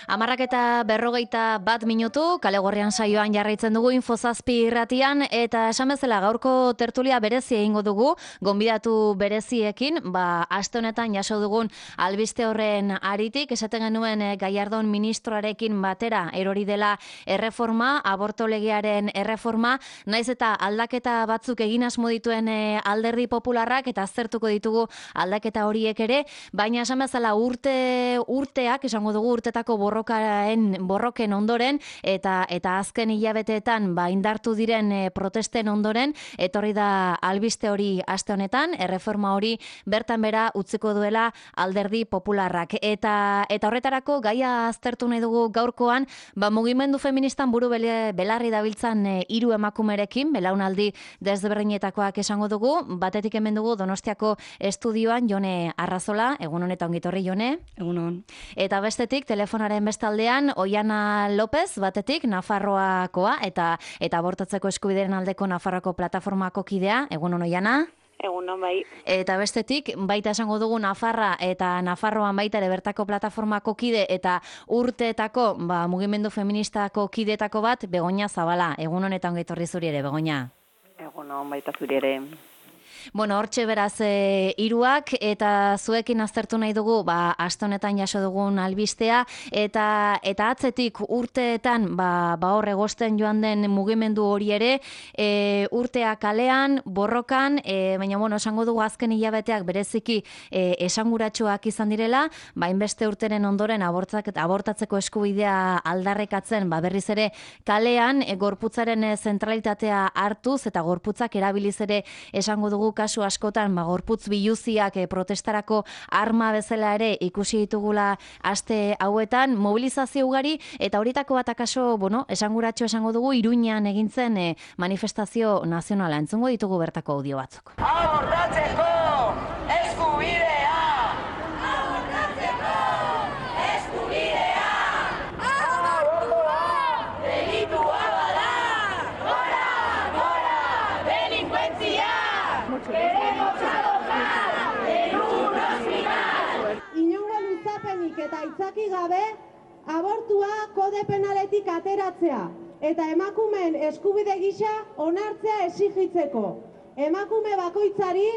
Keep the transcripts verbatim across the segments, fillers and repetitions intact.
Amarrak eta berrogeita bat minutu, kale gorrian saioan jarraitzen dugu Infozazpi irratian, eta esan bezala gaurko tertulia berezi egingo dugu, gonbidatu bereziekin, ba, aste honetan jaso dugun albiste horren aritik, esaten genuen eh, Gallardón ministroarekin batera erori dela erreforma, aborto legearen erreforma, naiz eta aldaketa batzuk egin asmo dituen eh, alderdi popularrak, eta aztertuko ditugu aldaketa horiek ere, baina esan bezala urte urteak, esango dugu urtetako borrokaen borroken ondoren eta eta azken hilabeteetan ba indartu diren e, protesten ondoren etorri da albiste hori aste honetan, erreforma hori bertan bera utziko duela alderdi popularrak eta eta horretarako gaia aztertu nahi dugu gaurkoan, ba mugimendu feministan buru bele, belarri dabiltzan e, hiru emakumerekin, belaunaldi desberdinetakoak esango dugu, batetik hemen dugu Donostiako estudioan Jone Arrazola, egun honetan ongitorri Jone. Egun hon. Eta bestetik telefonaren bestaldean Oiana López, batetik Nafarroakoa eta eta abortatzeko eskubideen aldeko Nafarroako plataformako kidea. Egun hon Oiana. Egun hon bai. Eta bestetik baita esango dugu Nafarra eta Nafarroan baita ere bertako plataformako kide eta urteetako ba, mugimendu feministako kideetako bat Begoña Zabala. Egun honetan ongi etorri zuri ere Begoña. Egun hon baita zuri ere. Bueno, hortxe beraz e, hiruak eta zuekin aztertu nahi dugu, ba aste honetan jaso dugun albistea eta eta atzetik urteetan ba ba hor egosten joan den mugimendu hori ere, e, urtea kalean, borrokan, e, baina bueno, esango dugu azken hilabeteak bereziki e, esanguratsuak izan direla, ba inbeste urteren ondoren abortzak abortatzeko eskubidea aldarrekatzen, ba berriz ere kalean e, gorputzaren e, zentralitatea hartuz eta gorputzak erabiliz ere esango dugu kasu askotan ba, gorputz biluziak e, protestarako arma bezala ere ikusi ditugula aste hauetan, mobilizazio ugari eta horietako bat akaso, bueno, esanguratxo esango dugu Iruñean egin zen e, manifestazio nazionala. Entzungo ditugu bertako audio batzuk. Abortatzeko eskubidea! Abortatzeko eskubidea! Abortua delitua bada! Gora, gora, delinkuentzia! Queremos adoptar en un hospital. Inongo luzapenik eta itzaki gabe abortua kode penaletik ateratzea eta emakumeen eskubide gisa onartzea exigitzeko. Emakume bakoitzari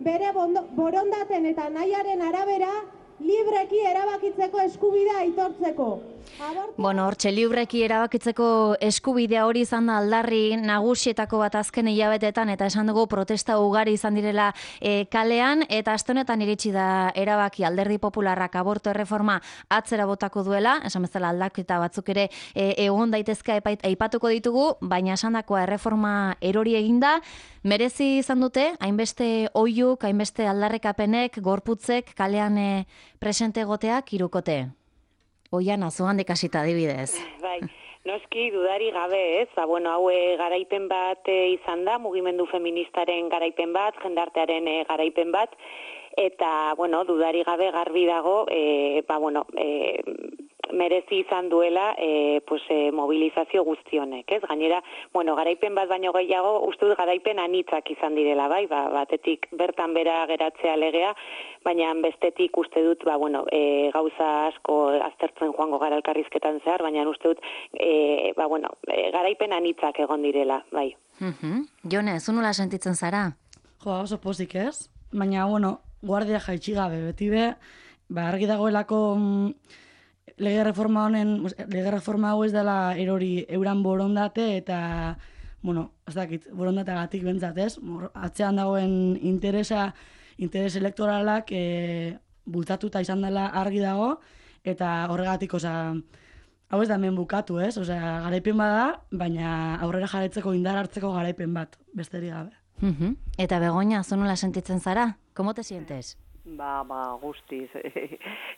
bere borondaten eta nahiaren arabera libreki erabakitzeko eskubidea aitortzeko. Bueno, hortxe libreki erabakitzeko eskubidea hori izan da aldarri nagusietako bat azken hilabetetan eta esan dugu protesta ugari izan direla e, kalean eta aste honetan iritsi da erabaki alderdi popularrak aborto erreforma atzera botako duela, esan bezala aldaketa batzuk ere e, egon daitezke aipatuko ditugu, baina esandakoa erreforma erori eginda, merezi izan dute, hainbeste oihuk, hainbeste aldarrekapenek, gorputzek kalean e, presente egoteak hirukote. Oiana, zuhandik hasita adibidez. Bai, noski dudari gabe ez, ba, bueno, hau garaipen bat e, izan da, mugimendu feministaren garaipen bat, jendartearen e, garaipen bat, eta, bueno, dudari gabe garbi dago, e, ba, bueno, e, merezi izan duela e, pues, e, mobilizazio guztionek, ez? Gainera, bueno, garaipen bat baino gehiago, uste dut garaipen anitzak izan direla, bai, ba, batetik bertan bera geratzea legea, baina bestetik uste dut, ba, bueno, e, gauza asko aztertzen joango gara elkarrizketan zehar, baina uste dut, e, ba, bueno, e, garaipen anitzak egon direla, bai. Uh-huh. Jone, zu nola sentitzen zara? Jo, oso pozik ez, baina, bueno, guardia jaitsi gabe, beti be, ba, argi dagoelako mm, lege reforma honen, lege reforma hau ez dela erori euran borondate eta, bueno, ez dakit, borondateagatik bentsat ez, atzean dagoen interesa, interes elektoralak e, bultatuta izan dela argi dago, eta horregatik, osea, hau ez da hemen bukatu ez, osea, garaipen bada, baina aurrera jarraitzeko indar hartzeko garaipen bat, besterik gabe. Uh-huh. Eta Begoña, zu nola sentitzen zara? ¿Cómo te sientes? Ba, ba, guztiz,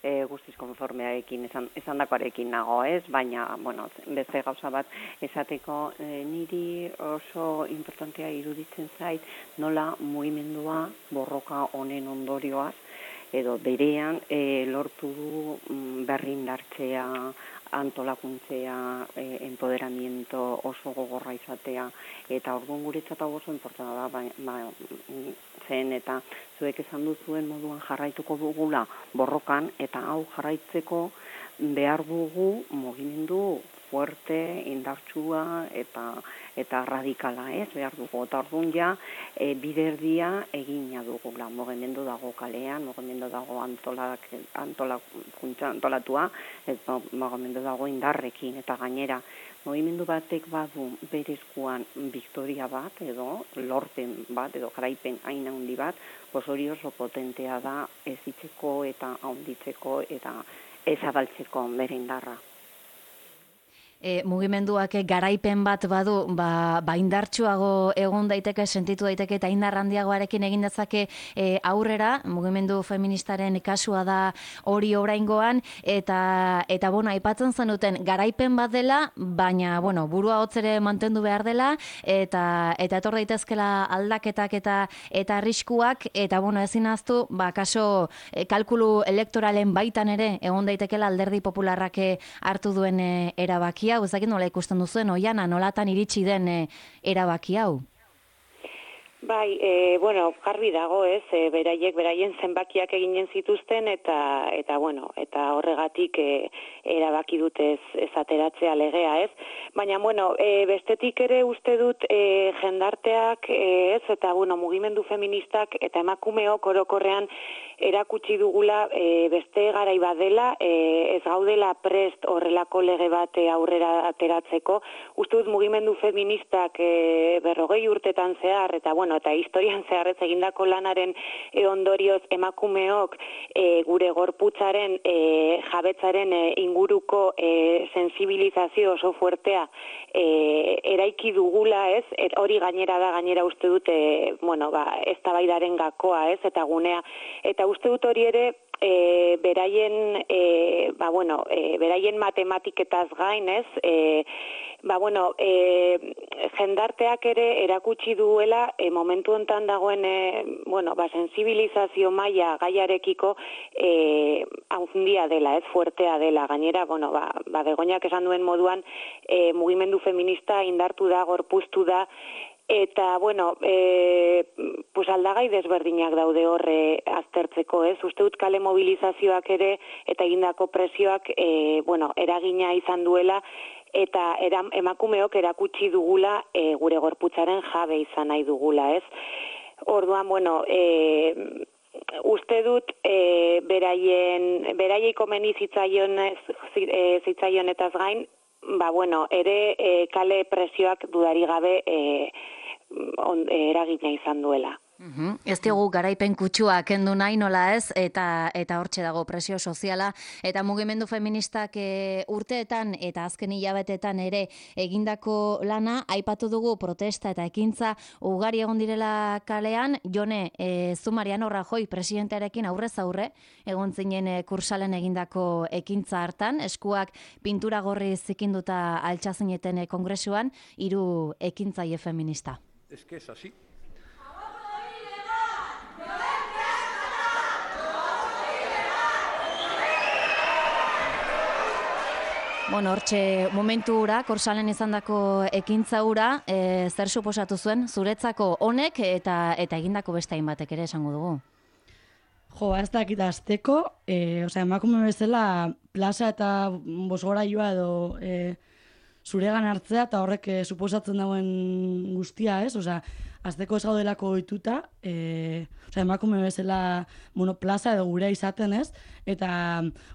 e, guztiz konformearekin, esan, esan dakoarekin nago, ez? Baina, bueno, beste gauza bat esateko e, niri oso importantea iruditzen zait nola mugimendua borroka honen ondorioaz, edo berean e, lortu du berrindartzea antolakuntzea, e, empoderamiento oso gogorra izatea, eta orduan guretzat hau oso importanta da, ba, ba, zen eta zuek esan duzuen moduan jarraituko dugula borrokan, eta hau jarraitzeko behar dugu mugimendu fuerte, indartsua eta eta radikala, ez, behar dugu. Eta orduan ja, e, biderdia egina dugula. Mugimendu dago kalean, mugimendu dago antolak, antolak, antolatua, eta mugimendu dago indarrekin, eta gainera, mugimendu batek badu berezkoan victoria bat, edo lorpen bat, edo garaipen hain handi bat, pos hori oso potentea da ezitzeko eta handitzeko eta ezabaltzeko bere indarra. E, mugimenduak garaipen bat badu, ba, ba indartsuago egon daiteke, sentitu daiteke eta indar handiagoarekin egin dezake e, aurrera, mugimendu feministaren kasua da hori oraingoan, eta, eta bueno, aipatzen zenuten garaipen bat dela, baina, bueno, burua hotz ere mantendu behar dela, eta, eta etor daitezkela aldaketak eta eta arriskuak, eta, bueno, ezin ahaztu, ba, kaso e, kalkulu elektoralen baitan ere, egon daitekela alderdi popularrak hartu duen e, erabaki hau, ezakit nola ikusten duzuen, Oiana, nolatan iritsi den e, erabaki hau? Bai, e, bueno, garbi dago, ez, e, beraiek, beraien zenbakiak eginen zituzten, eta, eta bueno, eta horregatik e, erabaki dute ez, ez ateratzea legea, ez? Baina, bueno, e, bestetik ere uste dut e, jendarteak, e, ez, eta, bueno, mugimendu feministak eta emakumeok orokorrean erakutsi dugula e, beste garai badela, e, ez gaudela prest horrelako lege bat e, aurrera ateratzeko. Uste dut mugimendu feministak e, berrogei urtetan zehar, eta bueno, eta historian zehar ez egindako lanaren e, ondorioz emakumeok e, gure gorputzaren e, jabetzaren e, inguruko e, sensibilizazio oso fuertea e, eraiki dugula, ez? Et hori gainera da, gainera uste dut, e, bueno, ba, eztabaidaren gakoa, ez? Eta gunea, eta uste dut hori ere e, beraien e, ba, bueno, e, beraien matematiketaz gain, ez? E, ba, bueno, e, jendarteak ere erakutsi duela e, momentu hontan dagoen e, bueno, ba, sensibilizazio maila gaiarekiko e, handia dela, ez, fuertea dela. Gainera, bueno, ba, ba Begoñak esan duen moduan e, mugimendu feminista indartu da, gorpuztu da, eta, bueno, e, pues aldagai desberdinak daude horre aztertzeko, ez? Uste dut kale mobilizazioak ere eta egindako presioak e, bueno, eragina izan duela, eta era, emakumeok erakutsi dugula e, gure gorputzaren jabe izan nahi dugula, ez? Orduan, bueno, e, uste dut e, beraien, beraiei komeni zitzaion, e, zitzaionetaz gain, ba, bueno, ere e, kale presioak dudari gabe e, on, eragina izan duela. Uhum. Ez diogu garaipen kutsua kendu nahi nola ez, eta eta hortxe dago presio soziala, eta mugimendu feministak e, urteetan eta azken hilabetetan ere egindako lana, aipatu dugu protesta eta ekintza ugari egon direla kalean. Jone, e, zu Mariano Rajoy presidentearekin aurrez aurre, egon zinen e, kursalen egindako ekintza hartan, eskuak pintura gorri zikinduta altxazineten e, kongresuan, hiru ekintzaile feminista. Es que es así. Bueno, hortxe momentu ura, korsalen izandako ekintza ura, e, zer suposatu zuen, zuretzako honek eta eta egindako beste hainbatek ere esango dugu? Jo, ez dakit azteko, e, osea, emakume bezala plaza eta bosgorailua edo e, zuregan hartzea eta horrek e, suposatzen dauen guztia, ez? Osea, azteko ez gaudelako ohituta, e, osea, emakume bezala, bueno, plaza edo gurea izaten, ez? Eta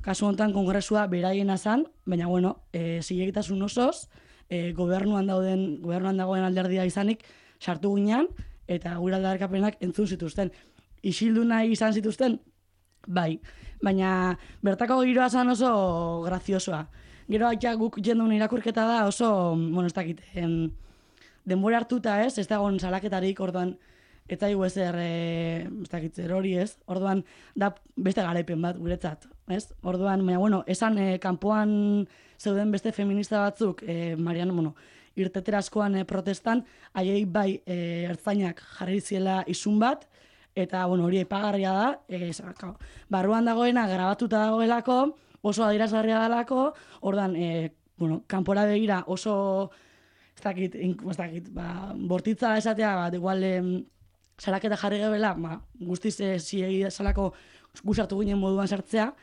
kasu honetan kongresua beraiena zan, baina, bueno, e, zilegitasun osoz, e, gobernuan dauden, gobernuan dagoen alderdia izanik, sartu ginean, eta gure aldarrikapenak entzun zituzten. Isildu nahi izan zituzten, bai, baina bertako giroa zan oso graziosoa. Gero aitak guk jendun irakurketa da oso, bueno, ez dakit, em, denbora hartuta, ez, ez dagoen salaketarik, orduan, eta igu ezer, e, ez dakit, zer hori, ez, orduan, da beste garaipen bat, guretzat, ez, orduan, baina, bueno, esan, e, kanpoan zeuden beste feminista batzuk, e, Mariano, bueno, irtetera askoan e, protestan, haiei bai, e, ertzainak jarri ziela isun bat, eta, bueno, hori aipagarria da, e, barruan dagoena grabatuta dagoelako, oso adierazgarria dalako, ordan, e, bueno, kanpora begira oso, ez dakit, ez dakit, ba, bortitza esatea, bat, igual, em, salaketa jarri gebela, ba, guztiz e, ziegi salako gusartu ginen moduan sartzea,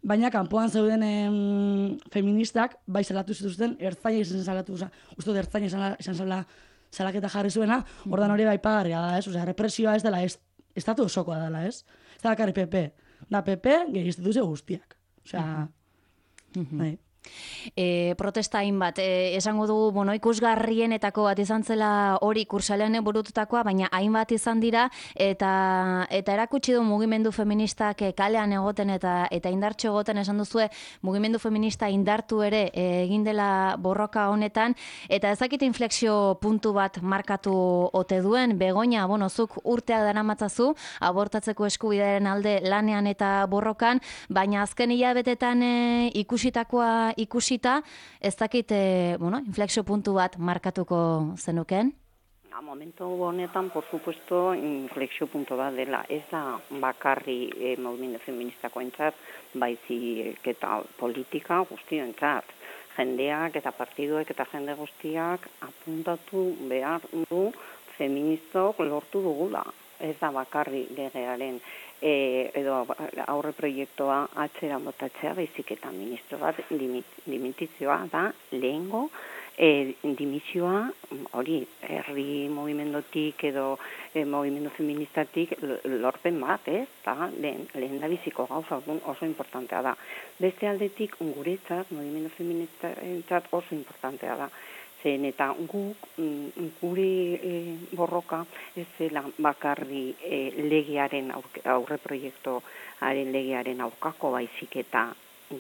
baina kanpoan zeuden em, feministak, bai salatu zituzten, ertzaina izan salatu, uste dut ertzaina izan, izan zala salaketa jarri zuena, ordan hori bai pagarria da, ez? Osea, represioa ez dela, ez, estatu osokoa dela, ez? Ez da bakarrik P P, da P P, gehi instituzio guztiak. Osea, bai. E, protesta hainbat, e, esango dugu, bueno, ikusgarrienetako bat izan zela hori kursalean burututakoa, baina hainbat izan dira, eta eta erakutsi du mugimendu feministak kalean egoten eta eta indartxo egoten esan duzue, mugimendu feminista indartu ere e, egin dela borroka honetan, eta ezakit inflexio puntu bat markatu ote duen, Begoña, bueno, zuk urtea daramatzazu, abortatzeko eskubidearen alde lanean eta borrokan, baina azken hilabetetan e, ikusitakoa ikusita, ez dakit, e, bueno, inflexio puntu bat markatuko zenuken? A momentu honetan, por supuesto, inflexio puntu bat dela. Ez da bakarri e, mugimendu feministako entzat, baizik eta politika guztioentzat. Jendeak eta partiduek eta jende guztiak apuntatu behar du feministok lortu dugula. Ez da bakarri legearen E, edo aurre proiektua atzera botatzea, baizik eta ministro bat dimitizioa da lehengo e, dimisioa hori herri mugimendotik edo e, mugimendu feministatik lorpen bat, ez? Ta, lehen, lehen da biziko gauza oso importantea da. Beste aldetik guretzat, mugimendu feministatzat oso importantea da. Zen eta guk, gure e, borroka ez zela bakarri e, legearen aurre proiektuaren legearen aurkako baizik eta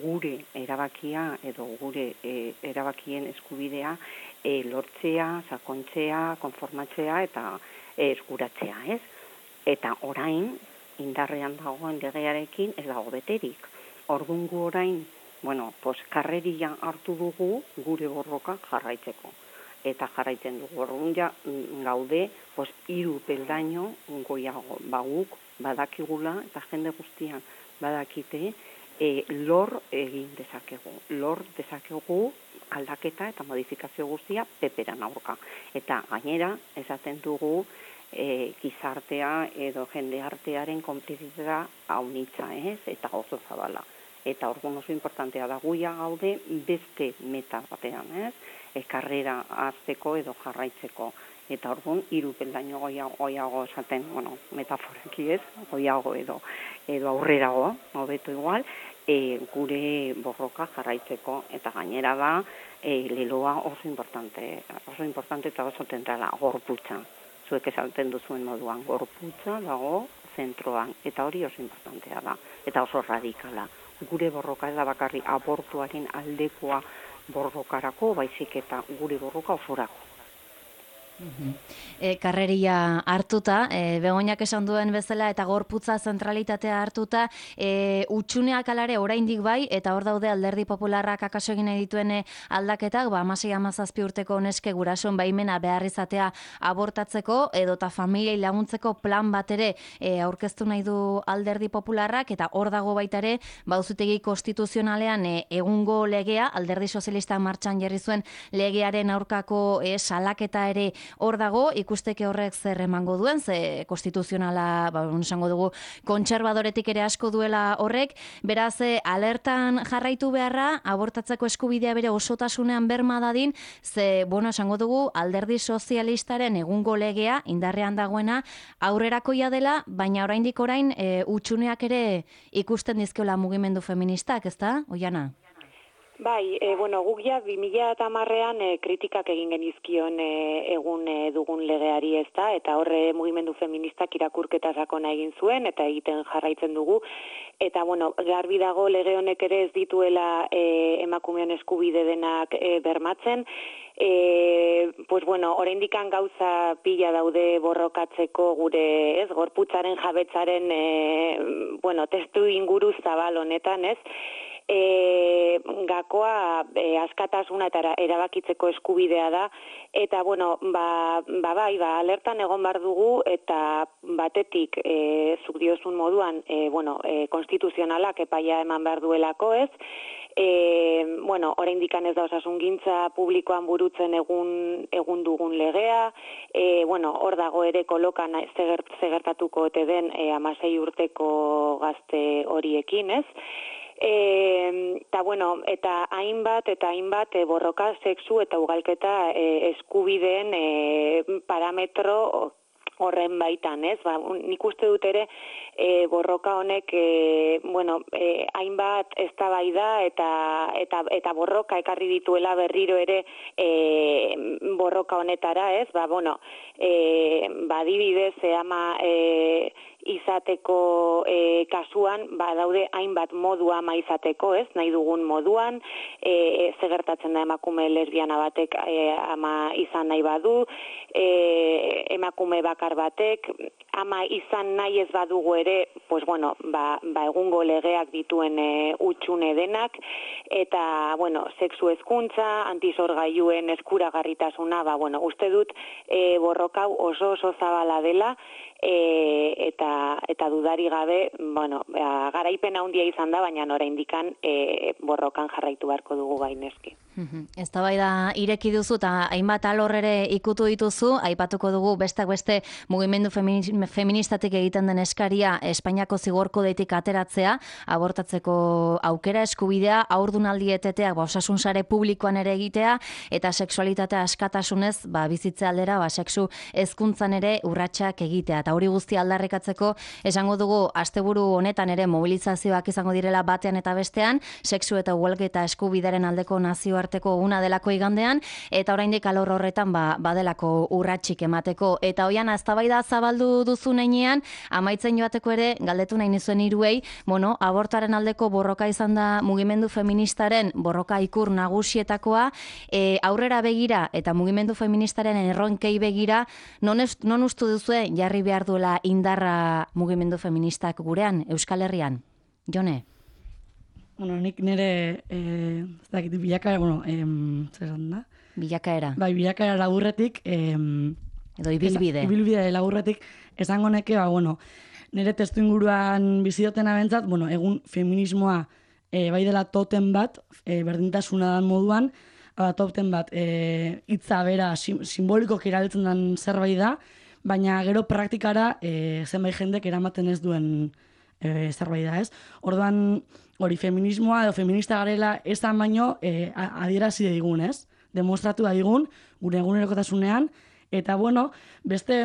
gure erabakia edo gure e, erabakien eskubidea e, lortzea, sakontzea, konformatzea eta e, eskuratzea, ez? Eta orain, indarrean dagoen legearekin ez dago beterik. Ordungu orain, bueno, pues karreria hartu dugu gure borroka jarraitzeko. Eta jarraitzen dugu. Orduan ja gaude, pues hiru peldaino goiago baguk badakigula eta jende guztian badakite e, lor egin dezakegu. Lor dezakegu aldaketa eta modifikazio guztia peperan aurka. Eta gainera, esaten dugu e, gizartea edo jende artearen konplizitza haunitza, ez? Eta oso zabala. Eta orduan oso importantea da guia gaude beste meta batean, ez? E, karrera azteko edo jarraitzeko. Eta orduan hiru peldaino goiago, goiago esaten, bueno, metaforaki ez, goiago edo edo aurrerago, hobeto igual, e, gure borroka jarraitzeko. Eta gainera da, e, leloa oso importante, oso importante eta oso tentrala, gorputza. Zuek esaten duzuen moduan, gorputza dago zentroan, eta hori oso importantea da, eta oso radikala. Gure borroka ez da bakarri abortuaren aldekoa borrokarako, baizik eta gure borroka osorako. E, karreria hartuta, e, Begoñak esan duen bezala eta gorputza zentralitatea hartuta, e, utxuneak alare oraindik bai, eta hor daude Alderdi Popularrak akaso egin dituen aldaketak, ba, hamasei hamazazpi urteko neske gurasoen baimena behar izatea abortatzeko, edota familiei laguntzeko plan bat ere e, aurkeztu nahi du Alderdi Popularrak, eta hor dago baita ere, bauzutegi konstituzionalean e, egungo legea, Alderdi Sozialista martxan jarri zuen legearen aurkako e, salaketa ere hor dago, ikusteke horrek zer emango duen, ze konstituzionala, ba, esango dugu, kontserbadoretik ere asko duela horrek, beraz, alertan jarraitu beharra, abortatzeko eskubidea bere osotasunean berma dadin, ze, bueno, esango dugu, Alderdi Sozialistaren egungo legea, indarrean dagoena, aurrerakoia dela, baina oraindik orain, e, utxuneak ere ikusten dizkiola mugimendu feministak, ezta, Oiana? Bai, e, bueno, guk ja bi mila hamarrean e, kritikak egin genizkion e, egun e, dugun legeari, ezta, eta horre mugimendu feministak irakurketa sakona egin zuen eta egiten jarraitzen dugu. Eta bueno, garbi dago lege honek ere ez dituela e, emakumeon eskubide denak e, bermatzen. E, pues bueno, oraindikan gauza pila daude borrokatzeko gure, ez, gorputzaren jabetzaren e, bueno, testu inguru zabal honetan, ez? e, gakoa e, askatasuna eta erabakitzeko eskubidea da, eta bueno, ba, ba bai, ba, alertan egon behar dugu, eta batetik, e, zuk diozun moduan, e, bueno, e, konstituzionalak epaia eman behar duelako ez, E, bueno, oraindik ez da osasungintza publikoan burutzen egun, egun dugun legea, e, bueno, hor dago ere kolokan zegertatuko ote den e, amasei urteko gazte horiekin, ez? E, eta bueno, eta hainbat eta hainbat e, borroka sexu eta ugalketa e, eskubideen e, parametro horren baitan, ez? Ba, nik uste dut ere e, borroka honek e, bueno, e, hainbat eztabaida eta eta eta borroka ekarri dituela berriro ere e, borroka honetara, ez? Ba, bueno, e, ba, adibidez, e, ama e, izateko e, kasuan, ba, daude hainbat modu ama izateko, ez? Nahi dugun moduan, e, ze gertatzen da emakume lesbiana batek e, ama izan nahi badu, e, emakume bakar batek, ama izan nahi ez badugu ere, pues bueno, ba, ba egungo legeak dituen e, utxune denak, eta, bueno, sexu hezkuntza, antisorgailuen eskuragarritasuna, ba, bueno, uste dut e, borrokau oso oso zabala dela, E, eta eta dudari gabe, bueno, ba, garaipen handia izan da, baina oraindikan e, borrokan jarraitu beharko dugu gaineski. Eztabaida ireki duzu eta hainbat alor ere ikutu dituzu, aipatuko dugu bestak beste mugimendu feministatik egiten den eskaria Espainiako zigorkodetik ateratzea, abortatzeko aukera eskubidea, haurdunaldi eteteak ba, osasun sare publikoan ere egitea, eta sexualitatea askatasunez ba, bizitze aldera ba, sexu hezkuntzan ere urratsak egitea. Eta hori guztia aldarrikatzeko esango dugu asteburu honetan ere mobilizazioak izango direla batean eta bestean, sexu eta ugalketa eskubideren aldeko nazioarteko una delako igandean, eta oraindik alor horretan ba, badelako urratsik emateko. Eta hoian eztabaida zabaldu duzu heinean, amaitzen joateko ere galdetu nahi nizuen hiruei, bueno, abortaren aldeko borroka izan da mugimendu feministaren borroka ikur nagusietakoa, e, aurrera begira eta mugimendu feministaren erronkei begira, non, ez, non ustu duzue jarri behar duela indarra mugimendu feministak gurean, Euskal Herrian? Jone? Bueno, nik nire, eh, ez dakit, bilakaera, bueno, em, zer esan da? Bilakaera. Bai, bilakaera laburretik, em, edo ibilbide. Ibilbide laburretik, esango neke, ba, bueno, nire testu inguruan bizioten abentzat, bueno, egun feminismoa e, bai dela toten bat, e, berdintasuna dan moduan, ba, toten bat, e, hitza bera sim, simboliko erabiltzen den zerbait da, baina gero praktikara e, zenbait jendek eramaten ez duen e, zerbait da, ez? Orduan, hori feminismoa edo feminista garela esan baino e, adierazi digun, ez? Demostratu da digun, gure egunerokotasunean, eta bueno, beste,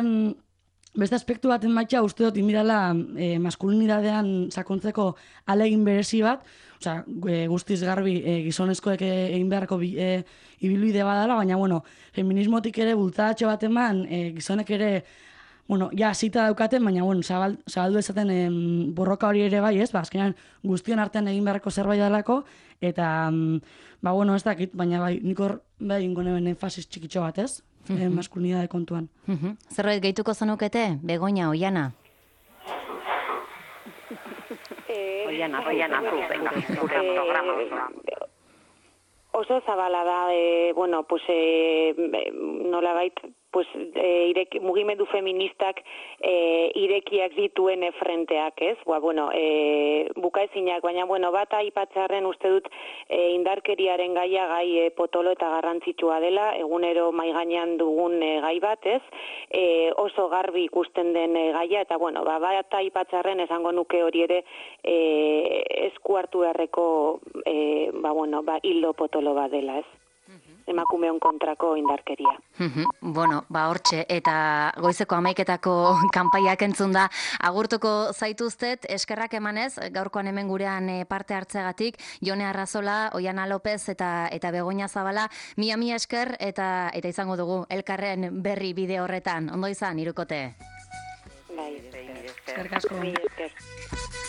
beste aspektu baten baitxa uste dut inbidala e, maskulinidadean sakontzeko alegin berezi bat, osea, e, guztiz garbi e, gizonezkoek egin beharko bi, e, ibilbide badala, baina bueno, feminismotik ere bultzadatxo bat eman, e, gizonek ere bueno, ja, zita daukaten, baina, bueno, zabal, zabaldu ezaten em, borroka hori ere bai, ez? Ba, azkenean guztion artean egin beharreko zerbait dalako, eta, em, ba, bueno, ez dakit, baina bai, nik hor, bai, ingonen enfasis txikitxo bat, ez? Mm -hmm. e, maskulinidade kontuan. Mm -hmm. Zerbait gehituko zenukete, Begoña, Oiana? Oiana, Oiana, Oiana, oso zabala da, e, bueno, pues, e, nolabait, pues, e, irek, mugimendu feministak e, irekiak dituen e, frenteak, ez? Ba, bueno, e, bukaezinak, baina, bueno, bat aipatzearren uste dut e, indarkeriaren gaia gai e, potolo eta garrantzitsua dela, egunero mai gainean dugun e, gai bat, ez? E, oso garbi ikusten den e, gaia, eta, bueno, ba, bat aipatzearren esango nuke hori ere e, esku hartu beharreko e, ba, bueno, ba, hildo potolo bat dela, ez? Emakumeon kontrako indarkeria. Bueno, ba hortxe, eta goizeko hamaiketako kanpaiak entzun da. Agurtuko zaituztet, eskerrak emanez, gaurkoan hemen gurean parte hartzeagatik, Jone Arrazola, Oiana López eta eta Begoña Zabala, mia mia esker, eta eta izango dugu elkarren berri bide horretan. Ondo izan, hirukote. Bai, eskerrik asko. Esker.